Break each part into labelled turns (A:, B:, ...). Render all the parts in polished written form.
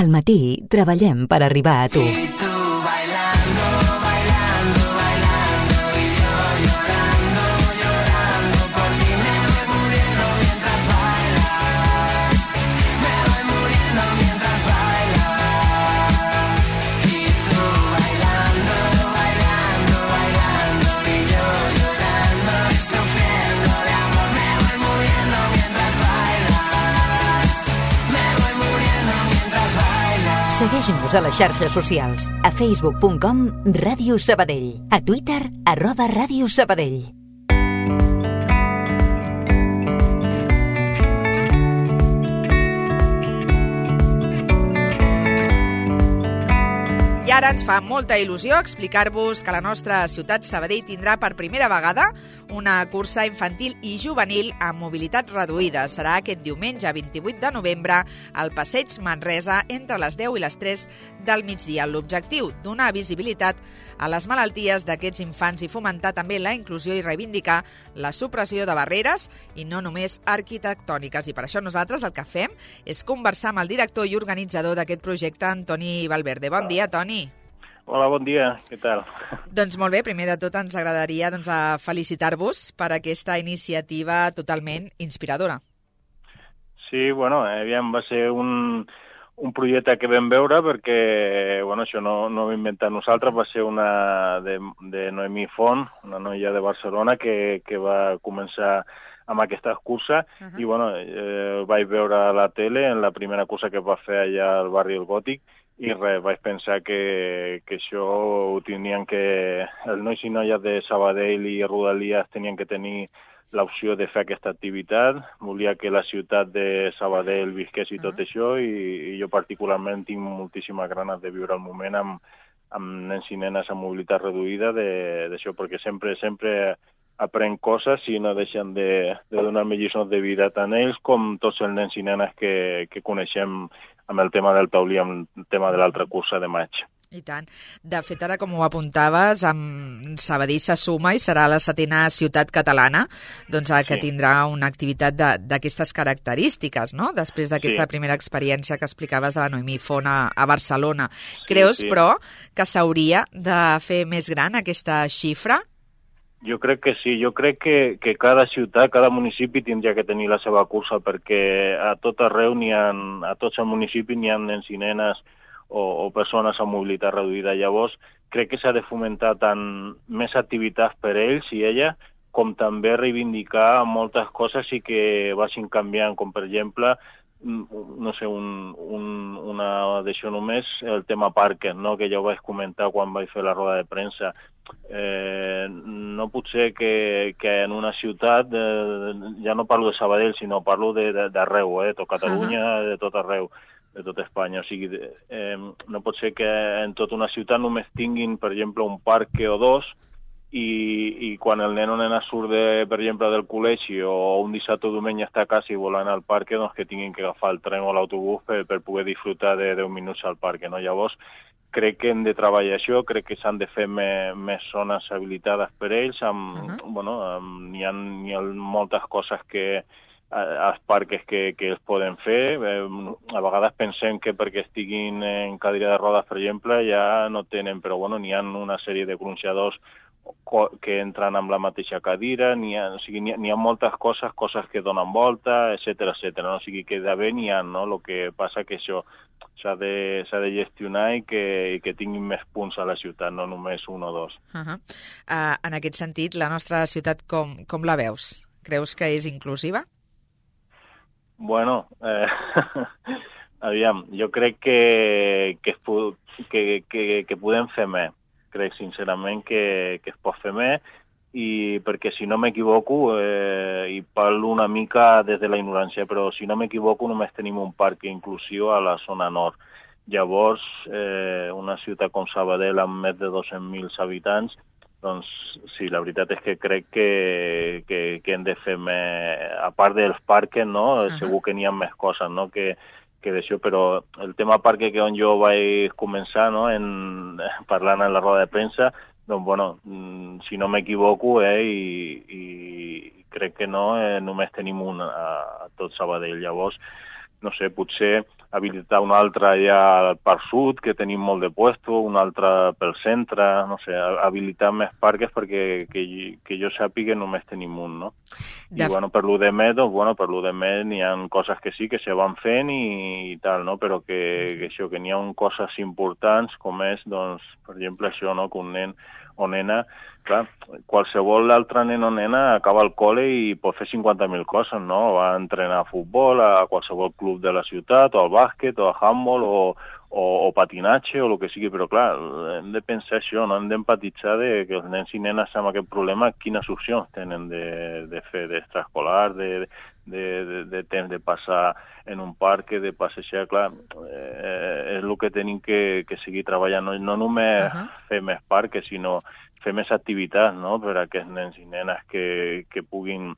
A: Al matí treballem per arribar a tu. Segueix-nos a les xarxes socials, a facebook.com Ràdio Sabadell, a Twitter @Ràdio Sabadell.
B: I ara ens fa molta il·lusió explicar-vos que la nostra ciutat Sabadell tindrà per primera vegada una cursa infantil i juvenil amb mobilitat reduïda. Serà aquest diumenge 28 de novembre al Passeig Manresa entre les 10 i les 3 del migdia. L'objectiu, donar visibilitat a les malalties d'aquests infants i fomentar també la inclusió i reivindicar la supressió de barreres i no només arquitectòniques. I per això nosaltres el que fem és conversar amb el director i organitzador d'aquest projecte, Antoni Valverde. Bon dia, Toni.
C: Hola, bon dia. Què tal?
B: Doncs molt bé, primer de tot ens agradaria felicitar-vos per aquesta iniciativa totalment inspiradora.
C: Sí, bueno, aviam, va ser un projecte que vam veure perquè, bueno, això no ho hem inventat nosaltres, va ser una de Noemí Font, una noia de Barcelona que va començar amb aquesta cursa i, bueno, vaig veure a la tele en la primera cursa que va fer allà al barri El Gòtic i res, vaig pensar que això ho tenien que... Els nois i noies de Sabadell i Rodalies tenien que tenir l'opció de fer aquesta activitat. Volia que la ciutat de Sabadell visqués i tot això i jo particularment tinc moltíssimes ganes de viure el moment amb nens i nenes amb mobilitat reduïda d'això, perquè sempre aprèn coses i no deixen de donar-me lliçons de vida tant ells com tots els nens i nenes que coneixem amb el tema del taulí, amb el tema de l'altra cursa de maig.
B: I tant. De fet, ara, com ho apuntaves, Sabadell se suma i serà la 7ª ciutat catalana que tindrà una activitat d'aquestes característiques, no? Després d'aquesta primera experiència que explicaves de la Noemí Font a Barcelona. Creus, però, que s'hauria de fer més gran aquesta xifra?
C: Jo crec que sí, jo crec que cada ciutat, cada municipi tindria que tenir la seva cursa perquè a tot arreu a tots els municipis n'hi ha nens i nenes o persones amb mobilitat reduïda. Llavors, crec que s'ha de fomentar tant més activitats per ells i ella, com també reivindicar moltes coses i que vagin canviant, com per exemple, no sé, una d'això només, el tema parques, no? Que ja ho vaig comentar quan vaig fer la roda de premsa. No pot ser que en una ciutat, ja no parlo de Sabadell, sinó parlo d'arreu, de tot Catalunya, de tot arreu, de tot Espanya. O sigui, no pot ser que en tota una ciutat només tinguin, per exemple, un parc o dos i quan el nen o nena surt, per exemple, del col·legi o un dissabte o diumenge està a casa i vol anar al parc, doncs que tinguin que agafar el tren o l'autobús per poder disfrutar de 10 minuts al parc, no? Llavors, crec que hem de treballar això, crec que s'han de fer més zones habilitades per ells, n'hi ha moltes coses als parcs que es poden fer. A vegades pensem que perquè estiguin en cadira de rodes, per exemple, ja no tenen, però bueno, n'hi ha una sèrie de gronxadors que entren amb la mateixa cadira, n'hi ha moltes coses que donen volta, etcètera. No? O sigui que d'haver n'hi ha, no? El que passa que això s'ha de gestionar i que tinguin més punts a la ciutat, no només un o dos.
B: En aquest sentit, la nostra ciutat com la veus? Creus que és inclusiva?
C: Bueno, aviam, jo crec que podem fer més. Crec sincerament que es pot fer més i perquè si no m'equivoco, i parlo una mica des de la ignorància, però si no m'equivoco només tenim un parc inclusiu a la zona nord. Llavors, una ciutat com Sabadell amb més de 200.000 habitants, doncs sí, la veritat és que crec que hem de fer més, a part dels parcs, no? Segur que n'hi ha més coses, no? que d'això, però el tema parc que on jo vaig començar, no? Parlant en la roda de premsa, doncs, bueno, si no m'equivoco, i crec que no, només tenim un a tot Sabadell. Llavors, no sé, potser habilitar un altre allà al Parc Sud, que tenim molt de puesto, un altre pel centre, no sé, habilitar més parques perquè que jo sàpiga només tenim un, no? I bueno, per lo de més, n'hi ha coses que sí que se van fent i tal, no? Però que això, que n'hi ha coses importants com és, doncs, per exemple, això, no? Que un nen o nena, clar, qualsevol altre nen o nena acaba al col·le i pot fer 50.000 coses, no? Va entrenar a futbol, a qualsevol club de la ciutat, o al bàsquet, o a handball, o patinatge, o el que sigui, però clar, hem de pensar això, no? Hem d'empatitzar que els nens i nenes amb aquest problema, quines opcions tenen de fer d'extraescolar, de temps de passar en un parc, de passejar, clar, és el que tenim que seguir treballant, no només fer més parcs, sinó fer més activitats, no?, per a aquests nens i nenes que puguin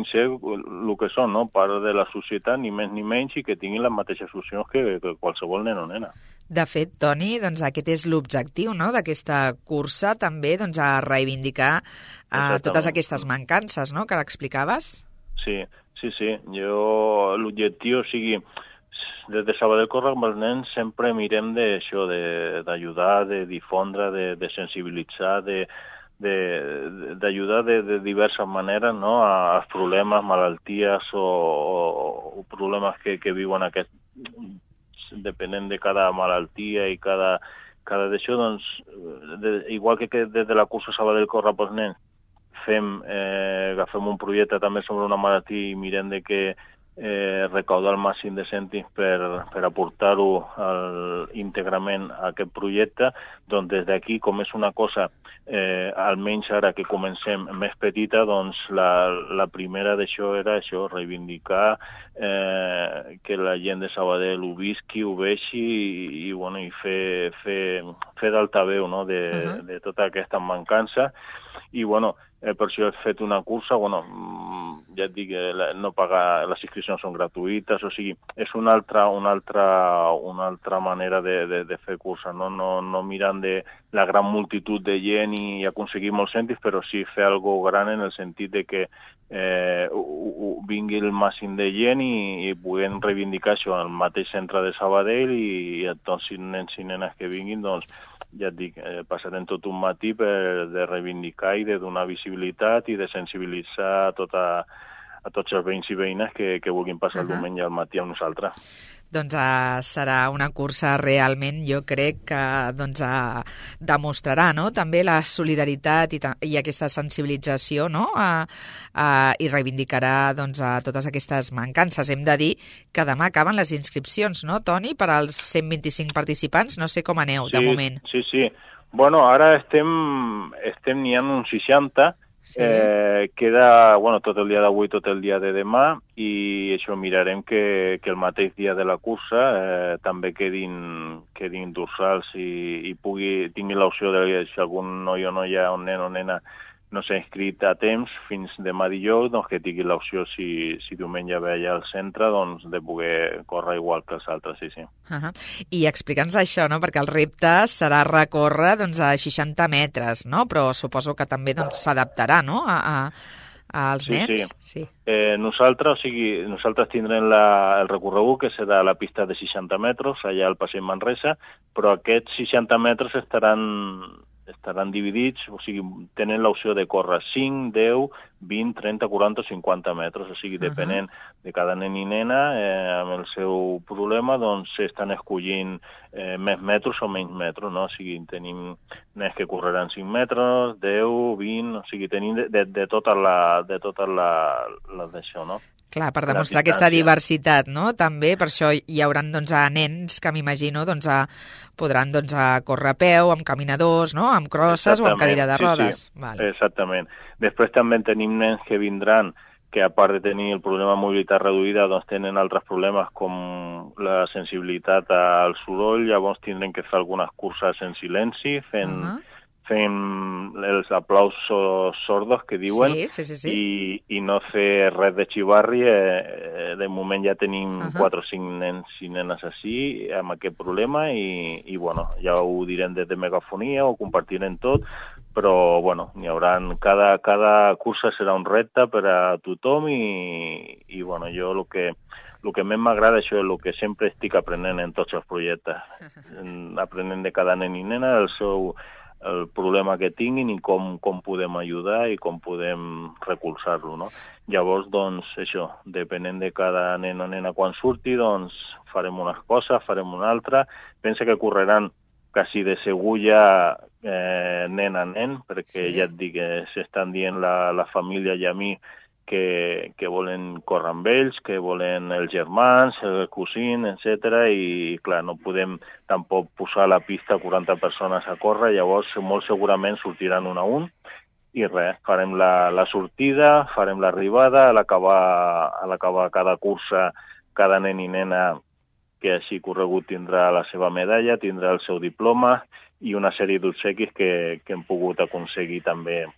C: ser el que són, no?, part de la societat, ni més ni menys, i que tinguin les mateixes opcions que qualsevol nen o nena.
B: De fet, Toni, doncs aquest és l'objectiu, no?, d'aquesta cursa, també doncs, a reivindicar totes aquestes mancances, no?, que ara explicaves.
C: Sí. L'objectiu, o sigui, des de Sabadell Corre amb els nens sempre mirem d'això, d'ajudar, de difondre, de sensibilitzar, d'ajudar de diverses maneres, no?, als problemes, malalties o problemes que viuen aquests, depenent de cada malaltia i cada d'això, doncs, igual que des de la cursa Sabadell Corre pels nens, agafem un projecte també sobre una malaltia i mirem de que recaudar el màxim de cèntims per aportar-ho íntegrament a aquest projecte, doncs des d'aquí, com és una cosa, almenys ara que comencem més petita, doncs la primera d'això era això, reivindicar que la gent de Sabadell ho visqui, ho vegi i fer d'altaveu, no?, de tota aquesta mancança. I, per això he fet una cursa, ja et dic, no pagar, les inscripcions són gratuïtes, o sigui, és una altra manera de fer cursa, no mirant de la gran multitud de gent i aconseguir molts cèntims, però sí fer algo gran en el sentit de que vingui el màxim de gent i puguem reivindicar això al mateix centre de Sabadell i a tots els nens i nenes que vinguin, doncs, ja et dic, passarem tot un matí de reivindicar i de donar visibilitat i de sensibilitzar a tots els veïns i veïnes que vulguin passar el diumenge al matí amb nosaltres.
B: Doncs serà una cursa realment, jo crec que demostrarà, no?, també la solidaritat i aquesta sensibilització, no?, i reivindicarà a totes aquestes mancances. Hem de dir que demà acaben les inscripcions, no, Toni, per als 125 participants? No sé com aneu, de moment.
C: Sí. Ara n'hi ha uns 60. Sí. Queda tot el dia d'avui, tot el dia de demà, i això mirarem que el mateix dia de la cursa també quedin dorsals i tingui l'opció de si algun noi o noia, un nen o nena no s'ha inscrit a temps fins demà dijous, doncs que tingui l'opció, si diumenge ve allà al centre, doncs de poder córrer igual que els altres, sí.
B: I explica'ns això, no?, perquè el repte serà recórrer a 60 metres, no?, però suposo que també s'adaptarà, no?, als nens.
C: Sí. Nosaltres tindrem el recorregut, que serà la pista de 60 metres, allà al Passeig Manresa, però aquests 60 metres estaran dividits, o sigui, tenen l'opció de córrer 5, 10, 20, 30, 40 o 50 metres, o sigui, depenent de cada nen i nena, amb el seu problema, doncs s'estan escollint més metres o menys metres, no? O sigui, tenim nens que correran 5 metres, 10, 20, o sigui, tenim de totes les d'això, no?
B: Clar, per demostrar aquesta diversitat, no?, també, per això hi haurà nens que m'imagino podran córrer a peu, amb caminadors, no?, amb crosses o amb cadira de rodes.
C: Sí. Vale. Exactament. Després també tenim nens que vindran que a part de tenir el problema de mobilitat reduïda, doncs tenen altres problemes com la sensibilitat al soroll, llavors tindrem que fer algunes curses en silenci, fent els aplausos sordos que diuen,
B: sí.
C: I no fer res de xivarri. De moment ja tenim 4 o 5 nens i nenes així amb aquest problema i ja ho direm des de megafonia, ho compartirem tot, però n'hi haurà, cada cursa serà un repte per a tothom i jo el el que més m'agrada això és el que sempre estic aprenent en tots els projectes, aprenent de cada nen i nena el problema que tinguin i com podem ajudar i com podem recolzar-lo, no? Llavors, doncs, això, depenent de cada nen o nena quan surti, doncs farem unes coses, farem una altra. Pensa que correran quasi de segur ja nen a nen, perquè ja et dic que s'estan dient la família i a mi que volen córrer amb ells, que volen els germans, el cosín, etc. I, clar, no podem tampoc posar a la pista 40 persones a córrer, llavors molt segurament sortiran un a un, i res, farem la sortida, farem l'arribada, a l'acabar cada cursa, cada nen i nena que hagi corregut tindrà la seva medalla, tindrà el seu diploma i una sèrie d'obsequis que hem pogut aconseguir també,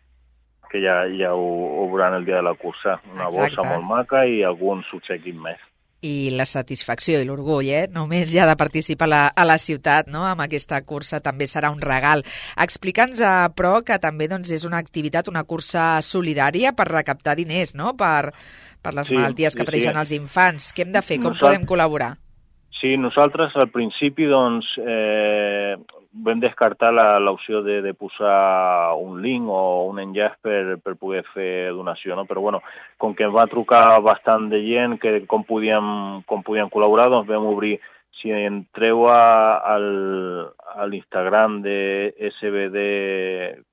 C: que ja ho veuran el dia de la cursa. Una bossa molt maca i alguns obsequis més.
B: I la satisfacció i l'orgull, només ja de participar a la ciutat, no? Amb aquesta cursa també serà un regal. Explica'ns, però, que també doncs, és una activitat, una cursa solidària per recaptar diners, no? Per les malalties que pateixen els infants. Què hem de fer? Com podem col·laborar?
C: Sí, nosaltres al principi doncs, vam descartar l'opció de posar un link o un enllaç per poder fer donació, no? Però bueno, com que em va trucar bastant de gent que com podíem col·laborar, doncs vam obrir. Si entreu a l'Instagram de SBD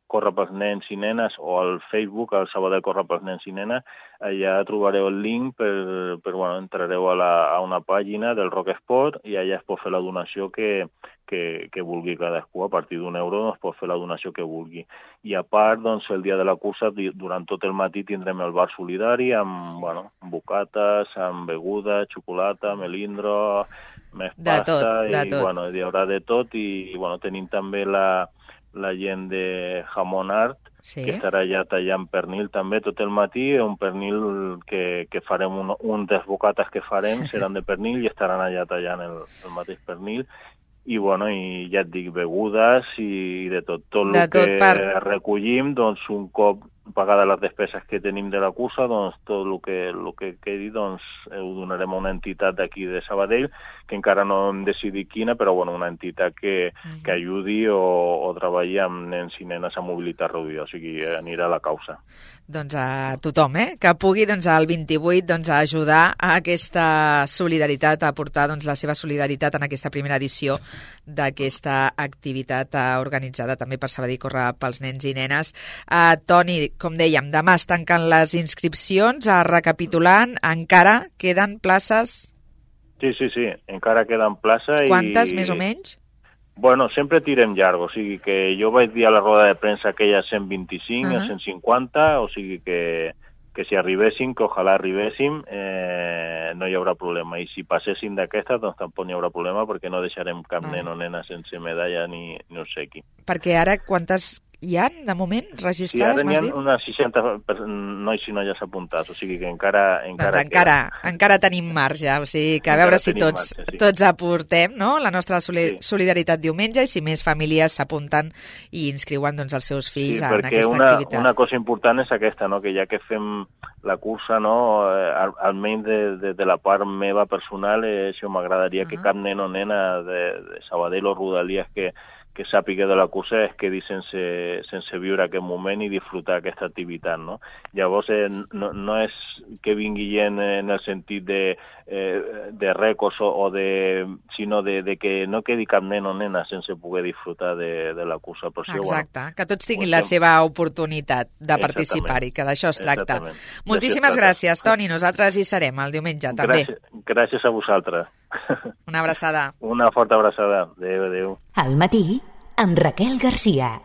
C: Corre pels nens i nenes o al Facebook, al Sabadell Corre pels nens i nenes, allà trobareu el link entrareu a una pàgina del Rock Sport i allà es pot fer la donació que vulgui cadascú. A partir d'1 euro es pot fer la donació que vulgui. I a part, doncs, el dia de la cursa, durant tot el matí tindrem el bar solidari amb bocates, amb beguda, xocolata, melindro, més pasta, i hi haurà de tot. I tenim també la gent de Jamón Art, que estarà allà tallant pernil també tot el matí, un pernil que farem, un dels bocates que farem seran de pernil i estaran allà tallant el mateix pernil. I ja et dic, begudes i de tot. Tot el que recollim, doncs un cop pagades les despeses que tenim de la cursa, doncs tot el que quedi doncs ho donarem a una entitat d'aquí de Sabadell, que encara no hem decidit quina, però una entitat que ajudi o treballi amb nens i nenes amb mobilitat reduïda, o sigui, anirà a la causa.
B: Doncs a tothom, que pugui el 28 ajudar a aquesta solidaritat, a aportar la seva solidaritat en aquesta primera edició d'aquesta activitat organitzada també per Sabadell Corre pels nens i nenes. Toni, com dèiem, demà es tanquen les inscripcions, recapitulant, encara queden places?
C: Sí, encara queden places.
B: Quantes, més o menys?
C: Sempre tirem llarg, o sigui que jo vaig dir a la roda de premsa que hi ha 125 o 150, o sigui que si arribéssim, que ojalà arribéssim, no hi haurà problema. I si passéssim d'aquesta, doncs tampoc no hi haurà problema, perquè no deixarem cap nen o nena sense medalla ni obsequi.
B: Perquè ara quantes hi ha, de moment, registrades, m'has dit?
C: Sí, ara n'hi ha unes 60 nois i noies apuntats, o sigui que encara
B: tenim marge, o sigui que a veure si tots aportem, no?, la nostra solidaritat diumenge, i si més famílies s'apunten i inscriuen els seus fills en aquesta activitat.
C: Perquè una cosa important és aquesta, no?, que ja que fem la cursa, no?, almenys de la part meva personal, això m'agradaria que cap nen o nena de Sabadell o Rodalies que sàpiga de la cursa es quedi sense viure aquest moment i disfrutar aquesta activitat, no? Llavors, no és que vingui gent en el sentit de rècords sinó de que no quedi cap nen o nena sense poder disfrutar de la cursa.
B: Exacte, que tots tinguin la seva oportunitat de participar-hi, que d'això es tracta. Moltíssimes gràcies, Toni. Nosaltres hi serem el diumenge, també.
C: Gràcies a vosaltres.
B: Una abraçada.
C: Una forta abraçada. Adéu.
A: Al matí, amb Raquel Garcia.